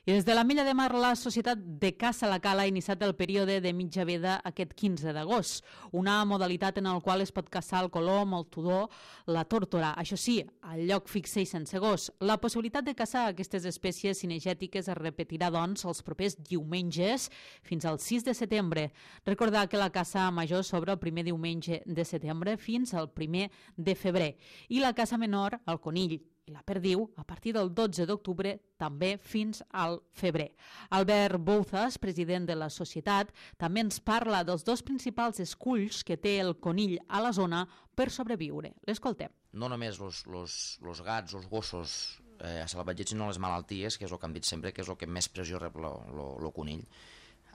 I des de l'Ametlla de Mar, la Societat de Caça la Cala ha iniciat el període de mitja veda aquest 15 d'agost, una modalitat en la qual es pot caçar el colom, el tudó, la tórtora. Això sí, al lloc fix i sense gos. La possibilitat de caçar aquestes espècies cinegètiques es repetirà, doncs, els propers diumenges fins al 6 de setembre. Recordar que la caça major s'obre el primer diumenge de setembre fins al 1 de febrer i la caça menor, el conill i la perdiu, a partir del 12 d'octubre, també fins al febrer. Albert Bouzas, president de la societat, també ens parla dels dos principals esculls que té el conill a la zona per sobreviure. L'escoltem. No només los gats o els gossos a salvatges, sinó les malalties, que és el que hem dit sempre, que és el que més pressió rep el conill.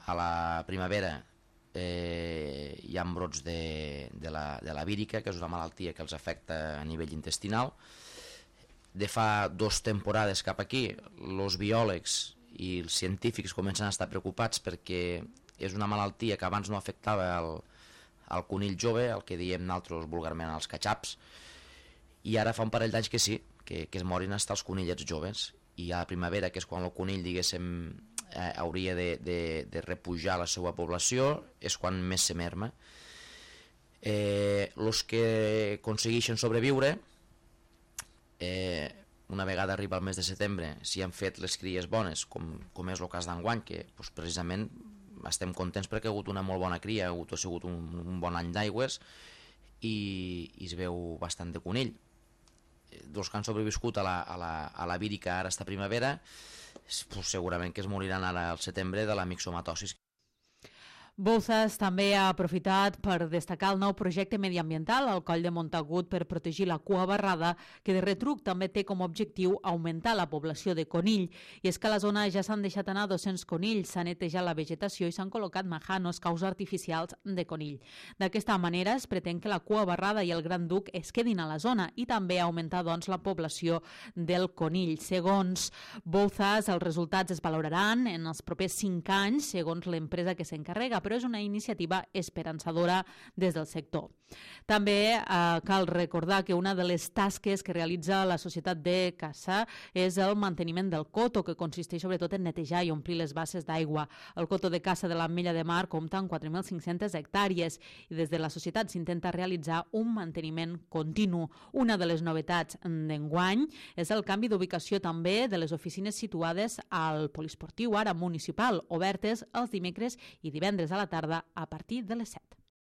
A la primavera hi ha brots de la vírica, que és una malaltia que els afecta a nivell intestinal. De fa 2 temporades cap aquí, els biòlegs i els científics comencen a estar preocupats perquè és una malaltia que abans no afectava el conill jove, el que diem nosaltres vulgarment els catxaps, i ara fa un parell d'anys que sí, que es morin hasta els conillets joves, i a la primavera, que és quan el conill, diguéssim, hauria de repujar la seva població, és quan més se merma. Els que aconsegueixen sobreviure, una vegada arriba el mes de setembre, si han fet les cries bones, com és el cas d'enguany, que precisament estem contents perquè ha hagut una molt bona cria, ha sigut un bon any d'aigües i es veu bastant de conill. Dels que han sobreviscut a la vírica ara esta primavera, segurament que es moriran ara al setembre de la mixomatosis. Bouzas també ha aprofitat per destacar el nou projecte mediambiental al Coll de Montagut per protegir la cua barrada, que de retruc també té com a objectiu augmentar la població de conill. I és que a la zona ja s'han deixat anar 200 conills, s'ha netejat la vegetació i s'han col·locat majanos, caus artificials de conill. D'aquesta manera es pretén que la cua barrada i el gran duc es quedin a la zona i també augmentar, doncs, la població del conill. Segons Bouzas, els resultats es valoraran en els propers 5 anys, segons l'empresa que s'encarrega, però és una iniciativa esperançadora des del sector. També cal recordar que una de les tasques que realitza la societat de caça és el manteniment del coto, que consisteix sobretot en netejar i omplir les basses d'aigua. El coto de caça de l'Ametlla de Mar compta amb 4.500 hectàrees i des de la societat s'intenta realitzar un manteniment continu. Una de les novetats d'enguany és el canvi d'ubicació també de les oficines situades al poliesportiu ara municipal, obertes els dimecres i divendres a la tarda a partir de les 7.